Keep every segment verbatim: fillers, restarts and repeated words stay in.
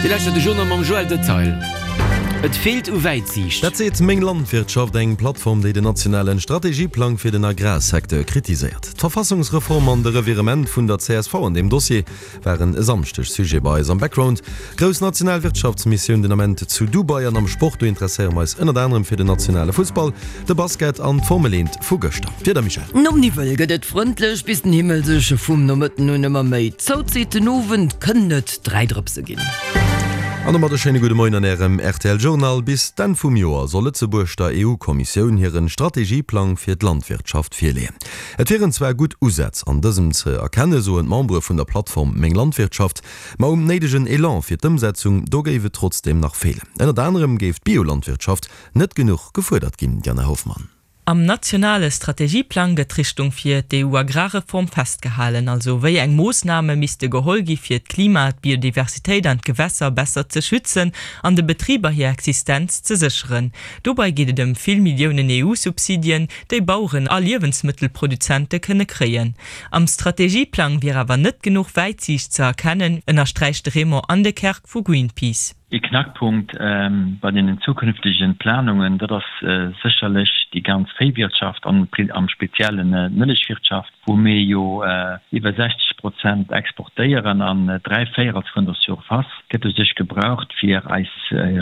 Dir lauschtert de Journal mam Joël Detail. Et feelt u Wäitsiicht. Dat seet Meng Landwirtschaft, eng Plattform, déi den nationalen Strategieplang fir den Agrarsecteur kritiséiert. D'Verfassungsreform an de Revirement vun der csv an deem Dossier waren e Samschdeg Sujet bei eis am Background. Grouss national Wirtschaftsmissioun den Ament zu Dubai an am Sport, do interesséiere mer eis ënnert anerem fir den nationale Fussball, de Basket an d'Formel eent vu gëschter. D'Wieder, Michèle? Nom Niwwel gëtt et frëndlech, bis den Himmel sech vum Nomëtten un ëmmer méi zouzitt. Den Owend kënnen et dräi Drëpse ginn. An domat e schéine gudde Moien an Ärem rtl Journal. Bis d'Enn vum Joer soll Lëtzebuerg der EU-Kommissioun hiren Strategieplang fir d'Landwirtschaft virleeën. Et wieren zwar gutt Usätz an dësem ze erkennen, soen d'Membere vun der Plattform Meng Landwirtschaft, ma um néidegen Elan fir d'Ëmsetzung, do géif et trotzdeem nach feelen. Ënnert anerem géif d'Biolandwirtschaft net genuch gefuerdert ginn, Diana Hoffmann. Am nationale Strategieplang gëtt d'Richtung fir d'EU-Agrarreform festgehalen, also wéi eng Moossname misste geholl gi fir d'Klima, d'Biodiversitéit an d'Gewässer besser ze schützen an de Betriber hir Existenz ze sécheren. Dobei geet et ëm vill Milliounen EU-Subsidien, déi Baueren a Liewensmëttelproduzente kënne kréien. Am Strategieplang wier awer net genuch Wäitsiicht ze erkennen, ënnersträicht de Raymond Andekerk vu Greenpeace. Ee Knackpunkt bei deenen zukünftegen Planungen, dat ass sécherlech déi ganz Véiwirtschaft an am Speziellen d'Mëllechwirtschaft, wou mir jo iwwer sechzeg Prozent exportéieren an dräi Véierels vun der Surface gëtt u sech gebraucht, fir eis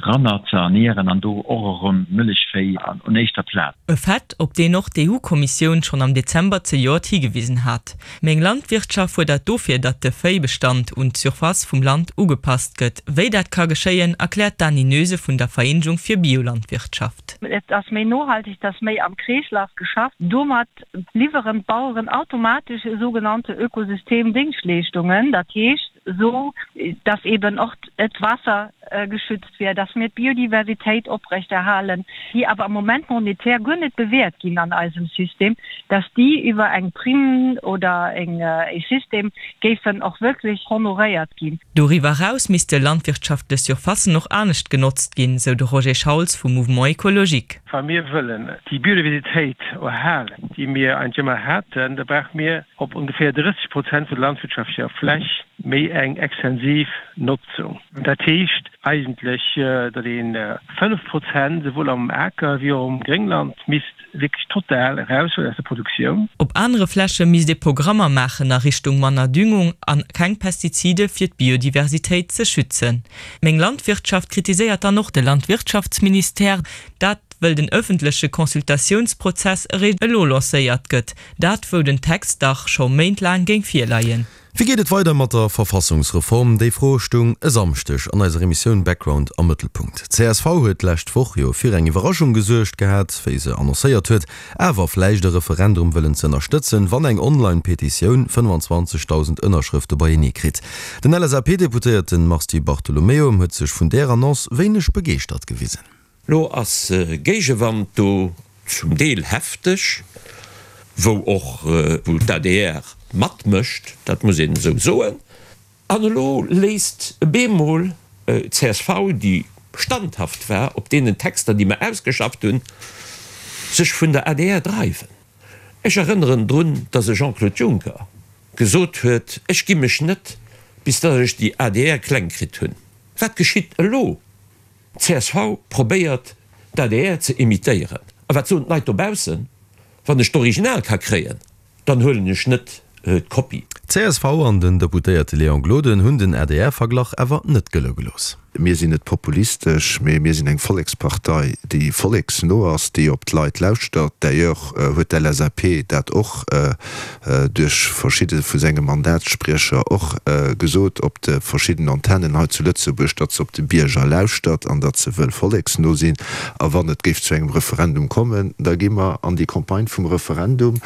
Ranner ze ernieren an do och erëm Mëllechvéi un éischter Plaz. E Fait, op deen och d'EU-Kommissioun schonn am Dezember zejoert higewisen hat. Meng Landwirtschaft fuerdert dofir, datt de Véibestand un d'Surface vum Land ugepasst gëtt. Wéi dat ka geschéien, erkläert d'Dany Noese vun der Vereenegung fir Biolandwirtschaft. Et ass méi nohalteg, et ass méi am Kreeslaf geschafft. Domat liwweren d'Baueren automatesch sougenannte Ökosystemdéngschtleeschtungen, dat heescht esou, dass eben och d'Waasser geschützt wier, dass mir d'Biodiversitéit oprechterhalen, déi awer am Moment monetär guer net bewäert ginn an eisem System, dass déi iwwer eng Prime oder e System géifen och wierklech honoréiert ginn. Doriwwer eraus misste landwirtschaftlech Surfacen och anescht genotzt ginn, sou de Roger Schauls vum Mouvement Ecologique. Wa mir wëllen déi Biodiversitéit erhalen, déi mir eigentlech ëmmer haten, da brauche mir op ongeféier drësseg Prozent vun der landwirtschaftlecher Fläch méi eng extensiv Notzung. Dat heescht eigentlech, datt ee fënnef Prozent esouwuel am Aker wéi och um Gréngland misst wierklech total eraushuelen aus der Produktioun. Op anere Fläche misst ee Programmer maachen a Richtung manner Düngung a keng Pestizide fir d'Biodiversitéit ze schützen. Meng Landwirtschaft kritiséiert dann och de Landwirtschaftsministère, dat wëll den ëffentleche Consultatiounsprozess eréischt elo lancéiert gëtt, dat wou den Text dach scho méintlaang géing virleien. Wéi geet et weider mat der Verfassungsreform? Déi Fro stoung e Samschdeg an eiser Emissioun Background am Mëttelpunkt. D'csv huet d'lescht Woch jo fir eng Iwwerraschung gesuergt gehat, wéi se annoncéiert huet, awer vläicht e Referendum wëllen ze ënnerstëtzen, wann eng Online-Petitioun fënnfanzwanzegdausend Ënnerschrëfte beienee kritt. Den L S A P-Deputéierte Mars Di Bartolomeo huet sech vun där Annonce wéineg begeeschtert gewisen. Lo ass Géigewand do, zum Deel hefteg, wou och wou d'A D R matmécht, dat muss een esou soen. An elo léisst bemol d'C S V, déi standhaft war op deenen Texter, déi mer ausgeschafft hunn, sech vun der A D R dreiwen. Ech erënneren drun, dass e Jean-Claude Juncker gesot huet, Ech gi mech net, bis dass ech déi A D R kleng kritt hunn. Wat geschitt elo? D'C S V probéiert, d'A D R ze imitéieren. A wat soen d'Leit dobaussen? Wann ech d'Original ka kréien, dann huelen ech net d'Kopie. D'C S V an den Deputéierte Léon Gloden hunn den A D R-Verglach awer net gëlle gelooss. Mir sinn net populistesch, mee mir sinn eng Vollekspartei, déi volleksno ass, déi op d'Leit lauschtert. D'ailleurs huet d'L S A P dat och duerch verschidde vu senge Mandatsspriecher och gesot op de verschiddenen Antennen hei zu Lëtzebuerg, datt se op de Bierger lauschtert an datt se wëll volleksno sinn. A wann et géif zu engem Referendum kommen, da gi mer an déi Campagne vum Referendum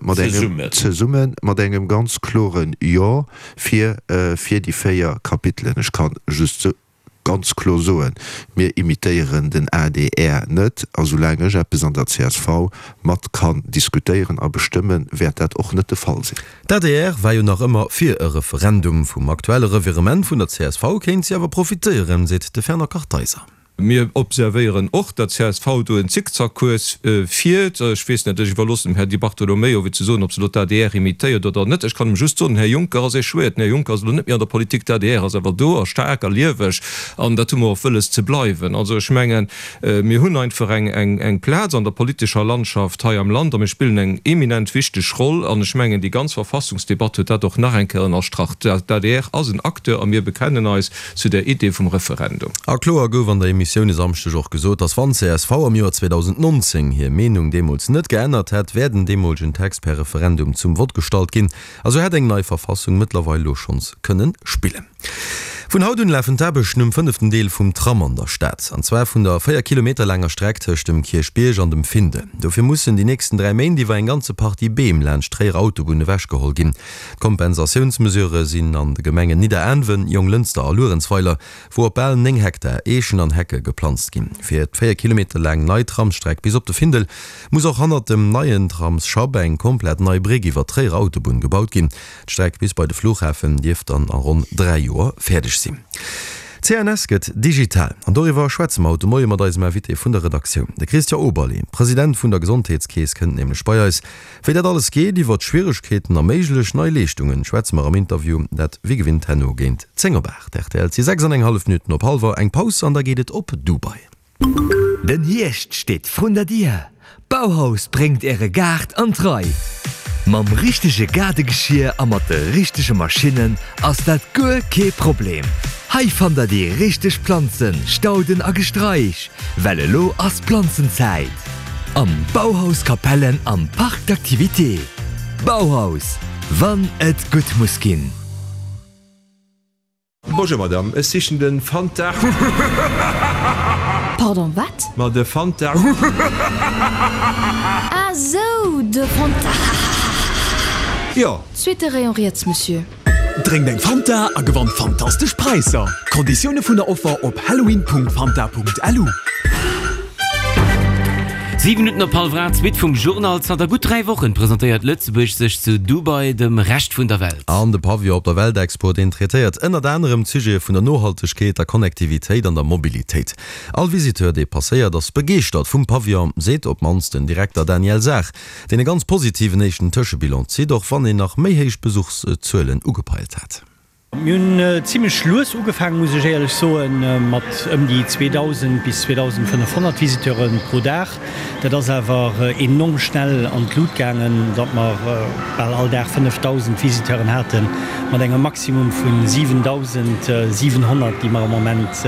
mat engem zesumme mat engem ganz kloren Jo fir fir déi véier Kapitelen. Ech ka just ganz kloer soen, mir imitéieren den A D R net. A soulaang ech eppes an der C S V mat kann diskutéieren a bestëmmen, wäert dat och net de Fall sinn. D'A D R war jo nach ëmmer fir e Referendum. Vum aktuelle Revirement vun der C S V kéint si awer profitéieren, seet de Fernand Kartheiser. Mir observéieren och, datt csv do en Zickzackkurs fiert. Ech weess net, ech iwwerloossen dem Här Di Bartolomeo fir ze soen, ob se elo d'ADR imitéiert oder net. Ech kann em just soen, den Här Juncker ass échouéiert. Den Här Juncker ass elo net méi an der Politik, d'ADR ass awer do a staark a lieweg an dat hu mer och wëlles ze bleiwen. Also ech mengen, mir hunn einfach eng Plaz an der politescher Landschaft hei am Land a mir spillen eng eminent wichteg Roll an ech mengen, déi ganz Verfassungsdebatt huet dat och nach eng Kéier ënnerstrach. D'ADR ass en Acteur a mir bekennen eis zu der Idee vum Referendum. A kloer gouf an der Emissioun e Samschdeg och gesot, datt wann csv am Joer zweedausendnonzéng hir Meenung deemools net geännert hätt, wär den deemolegen Text per Referendum zum Vott gestallt ginn a sou hätt eng nei Verfassung mëttlerweil lo schonns kënnen spillen. Vun haut un lafen d'Aarbechten um fënneften Deel vum Tram an der Stad, an zwar vun der véier Kilometer laanger Streck tëscht dem Kierchbierg an dem Findel. Dofir mussen déi nächsten dräi Méint iwwer eng ganze Partie Beem laanscht d'Tréier Autobunn ewechgeholl ginn. D'Kompensatiounsmesurë sinn an de Gemengen Nidderaanwen, Jonglënster a Luerenzweiler, wou op bal néng Hektar Eechen an Hecke geplanzt ginn. Fir d'véier Kilometer laang nei Tramsstreck bis op de Findel muss och hannert dem neien Tramsschapp eng komplett nei Bréck iwwer d'Tréier Autobunn gebaut ginn. D'Streck bis bei de Flughafen dierft dann a ronn dräi Joer fäerdeg sinn. C N S gëtt digital an doriwwer schwätze mer haut de Moie mat eisem Invité vun der Redaktioun. De Christian Oberlé, President vun der Gesondheetskeess, kënnt nämlech bei eis. Wéi dat alles geet, iwwer d'Schwieregkeeten a méiglech nei Leeschtungen schwätze mer am Interview, dat wéi gewinnt herno géint zéng op aacht. Rtl, Et si sechs an eng hallef Minutten op hallwer. Eng Paus an da geet et op Dubai. Den Hierscht steet vrun der Dier! Bauhaus bréngt äre Gaart an d'Rei! Mam richtege Gaardegeschier a mat de richtege Maschinnen ass dat guer kee Problem. Hei fannt der déi richteg Planzen, Stauden a Gestraich, well elo ass Planzenzäit! Am Bauhaus Capellen am Parc d'activités. Bauhaus, wann et gutt muss ginn! Bonjour Madame, ech sichen den Fanta. Pardon, wat? Ma de Fanta. Ah sou, de Fanta. Jo. Zweete Rayon riets, Monsieur. Drénkt eng Fanta a gewannt fantastesch Präisser! Konditioune vun der Offer op halloween.fanta.lu. Siwe Minutten op hallwer aacht, d'Suite vum Journal. Zanter gutt dräi Wochen presentéiert Lëtzebuerg sech zu Dubai dem Rescht vun der Welt. An de Pavillon op der Weltexpo, deen traitéiert ënnert anerem d'Sujete vun der Nohaltegkeet, der Connectivitéit an der Mobilitéit. All Visiteur, dee passéiert, ass begeeschtert vum Pavillon, seet op d'mannst den Direkter Daniel Saach, deen e ganz positiven éischten Tëschebilan zitt, och wann een nach méi héich Besuchszuelen ugepeilt hat. Mir hunn zimlech lues ugefaangen, muss ech éierlech soen, mat ëm déi zweedausend bis zweedausendfënnefhonnert Visiteure pro Dag. Dat ass awer enorm schnell an d'Lut gaangen, datt mer bal all Dag fënnefdausend Visiteuren haten, mat engem Maximum vu siwendausendsiwenhonnert, déi mer am Moment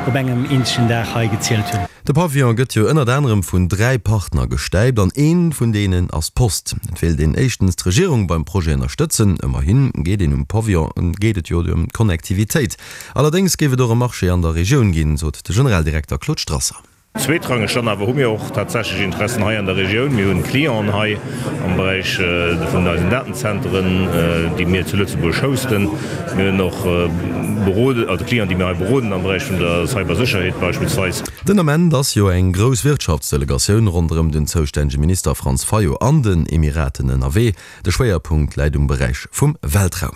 op engem eenzegen Dag hei gezielt hunn. De Pavillon gëtt jo ënnert anerem vun dräi Partner gestäipt an ee vun deenen ass d'Post. Et wéilt een éischtens d'Regierung beim Projet ënnerstëtzen, ëmmerhi geet een um Pavillon geet et jo ëm d'Connectivitéit. Allerdéngs géif et och e Marché an der Regioun ginn, sot de Generaldirekter Claude Strasser. Zweetrangeg dann awer hu mir och tatsächlech Interessen hei an der Regioun. Mir hunn Clienten hei am Beräich vun eisen Datenzenteren, déi mir zu Lëtzebuerg hosten. Mir hunn och Berode, also Clienten, déi mir hei beroden am Beräich vun der Cybersécherheet beispillsweis. Den Ament ass jo eng grouss Wirtschaftsdelegatioun ronderëm den zoustännege Minister Franz Fayot an den Emiraten ënnerwee. De Schwéierpunkt läit um Beräich vum Weltraum.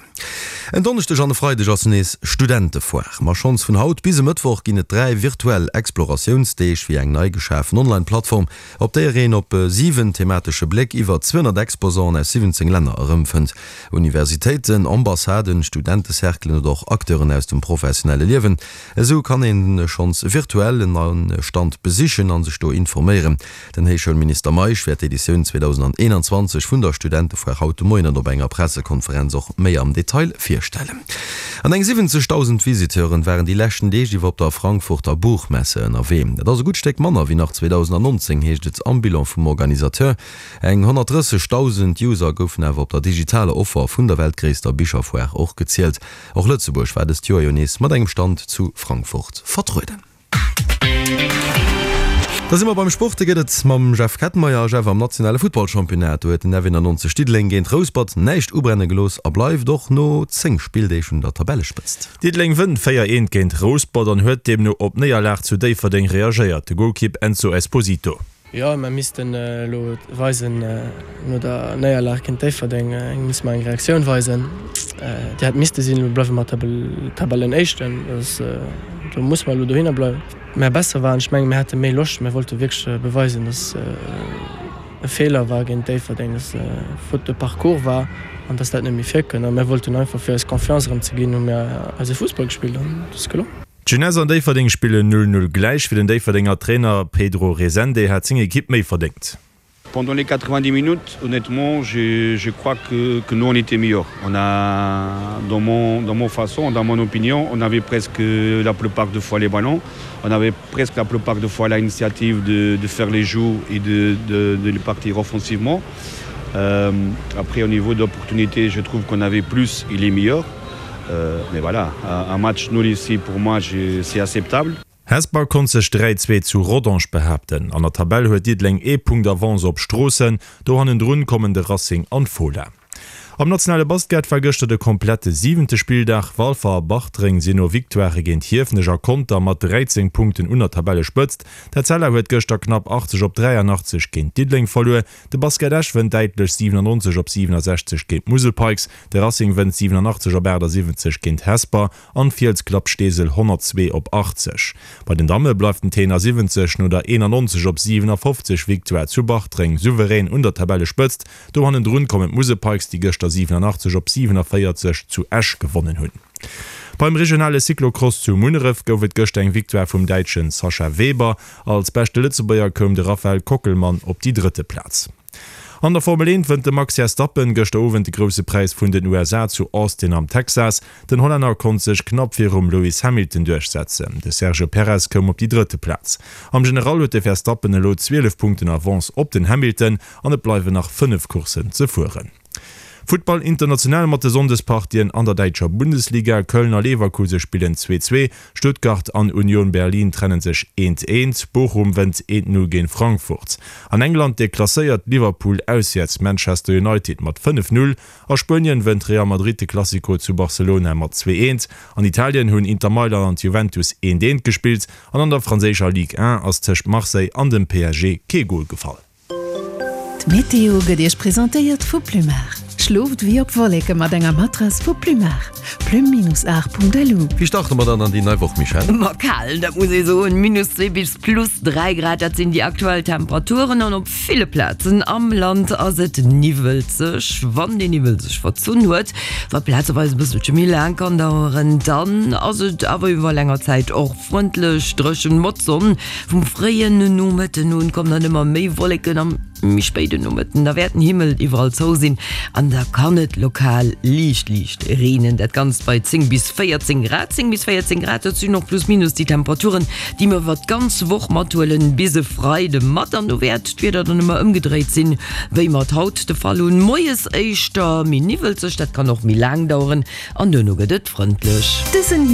En Donneschdeg an e Freideg ass nees Studentefoire. Ma schonns vun haut bis e Mëttwoch ginn et dräi virtuell Exploratiounsdeeg via eng nei geschafen Online-Plattform, op déier een op siwen thematesche Bléck iwwer zweehonnert Exposanten aus siwwenzéng Länner erëmfënnt. Universitéiten, Ambassaden, Studentecerclen oder och Acteuren aus dem professionelle Liewen. Esou kann een schonns virtuell en Stand besichen an sech do informéieren. Den Héichschoulminister Meisch wäert d'Editioun zweedausendeenanzwanzeg vun der Studentefoire haut de Moien an op enger Pressekonferenz och méi am Detail virstellen. An eng siwwenzegdausend Visiteuren waren déi leschten Deeg iwwer op der Frankfurter Buchmesse ënnerwee. Dat ass e gutt Stéck manner wéi nach zweedausendnonzéng, heescht et am Bilan vum Organisateur. Eng honnertdrëssegdausend User goufen awer op der digitaler Offer vun der weltgréisster Bicherfoire och gezielt. Och Lëtzebuerg war dëst Joer jo nees mat engem Stand zu Frankfurt vertrueden. Da si mer beim Sport, do geet et mam Jeff Kettenmeyer. Jeff, am nationale Futtballchampionnat, do huet den F eenannonzeg Diddeleng géint Rouspert näischt ubrenne gelooss a bleift och no zéng Spilldeeg un der Tabellespëtzt. Diddeleng wënnt véier eent géint Rouspert an huet deemno op d'Néierlag zu Déifferdeng reagéiert. De Golkipp Enzo Esposito. Jo, mer missten elo weisen, no der Néierlag géint Déifferdeng misste mer eng Reaktioun weisen. Déi hätt misste sinn. Elo bleiwe mer Tabellenéischten, do musse mer elo dohinner bleiwen. Mä besser waren, ech menge mir hate méi Loscht, mir wollte wierklech beweisen, datt e Feeler war géint Déifferdeng, datt e Faute de parcours war an datt dat net méi virkënnt. A mir wollten einfach, fir eis Confiance erëm ze ginn, hu mir eise Fussball gespillt an et ass gelongen. D'Jeunesse an Déifferdeng spillen null null gläich. Fir den Déifferdenger Trainer Pedro Resende hat seng Ekipp méi verdéngt. Pendant les quatre-vingt-dix minutes, honnêtement, je, je crois que, que nous on était meilleurs. On a, dans mon, dans mon façon, dans mon opinion, on avait presque la plupart de fois les ballons. On avait presque la plupart de fois l'initiative de, de faire les joues et de, de, de les partir offensivement. Euh, après, au niveau d'opportunité, je trouve qu'on avait plus et les meilleurs. Euh, mais voilà, un, un match nul ici, pour moi, c'est acceptable. Hesper konnt sech dräi zwee zu Rodange behaapten. An der Tabell huet Diddeleng ee Punkt Avance op Stroossen, do hannendrun kommen de Racing an d'Fola. Am nationale Basket war gëschter de komplette siwente Spilldag. Walfer a Bartreng sinn no Victoirë géint Hiefenech a Conter mat dräizéng Punkten un der Tabellespëtzt. D'Etzella huet gëschter knapp achtzeg op dräianachtzeg géint Diddeleng verluer. De Basket Esch wënnt däitlech siwenannonzeg op siwenasechzeg géint d'Musel Pikes. De Racing wënnt siwenanachtzeg op aachtasiewentzeg géint Hesper an d'Fiels klappt Steesel honnertzwee op achtzeg. Bei den Damme bleift den Tenor siwwenzeg no der eenannonzeg op siwenafofzeg Victoire zu Bartreng souverän un der Tabellespëtzt. Do hannendrun kommen d'Musel Pikes, déi gëschter siwenanachtzeg op siwenavéierzeg zu Esch gewonnen hunn. Beim regionale Cyclocross zu Munneref gouf et gëschter eng Victoire vum Däitschen Sascha Weber. Als beschte Lëtzebuerger koum de Raphael Kockelmann op déi drëtte Plaz. An der Formel eent wënnt de Max Verstappen gëschter Owend de Grousse Präis vun den U S A zu Austin am Texas. Den Hollänner konnt sech knapp virum Lewis Hamilton duerchsetzen. De Sergio Perez koum op déi drëtte Plaz. Am General huet de Verstappen elo zwielef Punkten Avance op den Hamilton an et bleiwen nach fënnef Courssen ze fueren. Futtball international mat de Sonndespartien an der däitscher Bundesliga, Köln a Leverkuse spillen zwee zwee, Stuttgart an Union Berlin trennen sech eent eent, Bochum wënnt eent null géint Frankfurt. An England deklasséiert Liverpool auswäerts Manchester United mat fënnef null, a Spuenien wënnt Real Madrid de Clasico zu Barcelona mat zwee eent, an Italien hunn Inter Mailand an d'Juventus eent eent gespillt an an der franséischer Ligue un ass tëscht Marseille an dem P S G kee Gol gefall. D'Meteo gëtt Iech presentéiert vu Plumar. Schlooft wéi op Wolleke mat enger Matrass vu Plumar. Plume-art.lu. Wéi starte mer dann an déi nei Woch, Michèle? Ma kal, dat muss ee soen. Minus zwee bis plus dräi Grad, dat sinn déi aktuell Temperaturen an op ville Plazen am Land ass et niwwelzeg. Wann deen Niwwel sech verzunn huet, wat plazeweis e bësselche méi laang kann daueren, dann ass et awer iwwer länger Zäit och frëndlech dréchen mat Sonn. Vum fréien Nomëtten un kommen dann ëmmer méi Wolleken, am méi spéiden Nomëtten da wäert den Himmel iwwerall zou sinn an da kann et lokal liicht liicht reenen. Dat Ganzt bei zéng bis véierzéng Grad. Zéng bis véierzéng Grad, dat sinn och plus minus déi Temperaturen, déi mer iwwer d'ganz Woch mathuelen bis e Freide mat. An do wäert d'Wieder dann ëmmer ëmgedréit sinn, wéi mer et haut de Fall hunn. Moies éischter méi niwwelzeg, dat kann och méi laang daueren an duerno gëtt et frëndlech. Dësen.